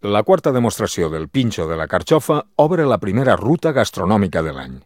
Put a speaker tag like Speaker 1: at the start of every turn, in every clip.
Speaker 1: La quarta demostració del Pinxo de la Carxofa obre la primera ruta gastronòmica de l'any.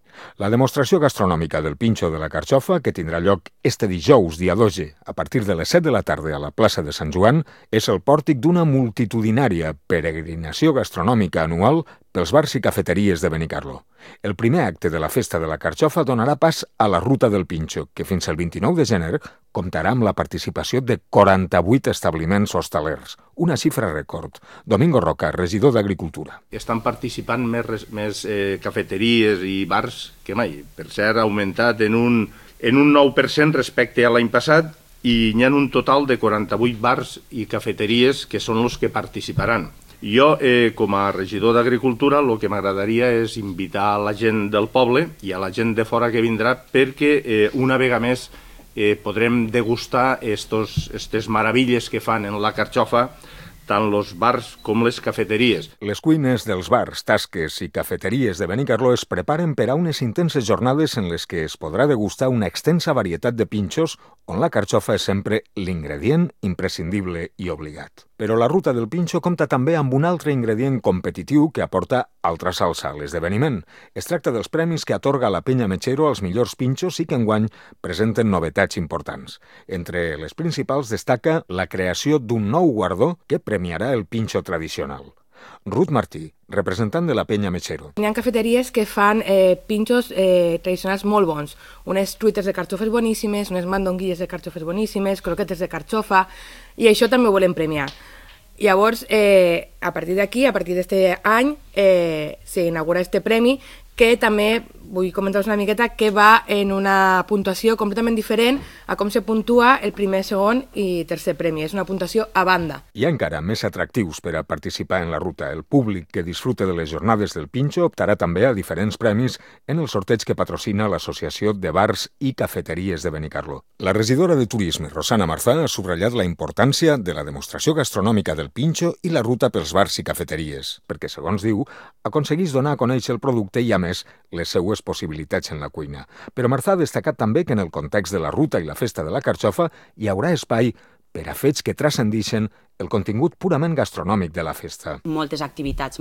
Speaker 1: La demostració gastronòmica del Pinxo de la Carxofa, que tindrà lloc este dijous, dia 12, a partir de les 7 de la tarda a la plaça de Sant Joan, és el pòrtic d'una multitudinària peregrinació gastronòmica anual pels bars i cafeteries de Benicarló. El primer acte de la Festa de la Carxofa donarà pas a la Ruta del Pinxo, que fins al 29 de gener comptarà amb la participació de 48 establiments hostalers, una xifra rècord. Domingo Roca, regidor d'Agricultura.
Speaker 2: Estan participant més cafeteries i bars que mai. Per cert, ha augmentat en un 9% respecte a l'any passat i hi ha un total de 48 bars i cafeteries que són els que participaran. Jo, com a regidor d'Agricultura, el que m'agradaria és invitar a la gent del poble i a la gent de fora que vindrà perquè una vegada més podrem degustar aquestes meravelles que fan en la carxofa tant els bars com les cafeteries.
Speaker 1: Les cuines dels bars, tasques i cafeteries de Benicarló es preparen per a unes intenses jornades en les que es podrà degustar una extensa varietat de pinxos on la carxofa és sempre l'ingredient imprescindible i obligat. Però la Ruta del Pinxo compta també amb un altre ingredient competitiu que aporta altra salsa a l'esdeveniment. Es tracta dels premis que atorga la Penya Mechero als millors pinxos i que enguany presenten novetats importants. Entre les principals destaca la creació d'un nou guardó que premiarà el pinxo tradicional. Ruth Martí, representant de la Penya Mechero.
Speaker 3: Hi ha cafeteries que fan pinxos tradicionals molt bons. Unes truites de carxofes boníssimes, unes mandonguilles de carxofes boníssimes, croquetes de carxofa, i això també ho volem premiar. Llavors, a partir d'aquí, a partir d'aquest any, s'inaugura este premi que també vull comentar-vos una miqueta que va en una puntuació completament diferent a com se puntua el primer, segon i tercer premi. És una puntuació a banda.
Speaker 1: Hi ha encara més atractius per a participar en la ruta. El públic que disfruta de les jornades del Pinxo optarà també a diferents premis en el sorteig que patrocina l'Associació de Bars i Cafeteries de Benicarló. La regidora de Turisme, Rosana Marzà, ha subratllat la importància de la demostració gastronòmica del Pinxo i la ruta pels bars i cafeteries, perquè, segons diu, aconsegueix donar a conèixer el producte i, a més, les seues possibilitats en la cuina. Però Marzà ha destacat també que en el context de la ruta i la Festa de la Carxofa hi haurà espai per a fets que transcendixen el contingut purament gastronòmic de la festa.
Speaker 4: Moltes activitats,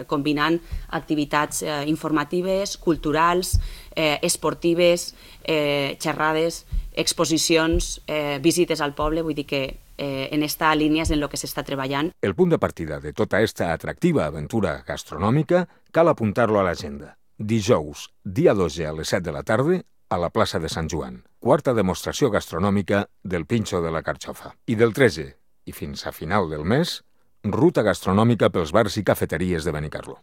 Speaker 4: combinant activitats informatives, culturals, esportives, xerrades, exposicions, visites al poble, vull dir que en esta línia és en el que s'està treballant.
Speaker 1: El punt de partida de tota esta atractiva aventura gastronòmica cal apuntar-lo a l'agenda. Dijous, dia 12 a les 7 de la tarda, a la plaça de Sant Joan. Quarta demostració gastronòmica del Pinxo de la Carxofa. I del 13 i fins a final del mes, ruta gastronòmica pels bars i cafeteries de Benicarló.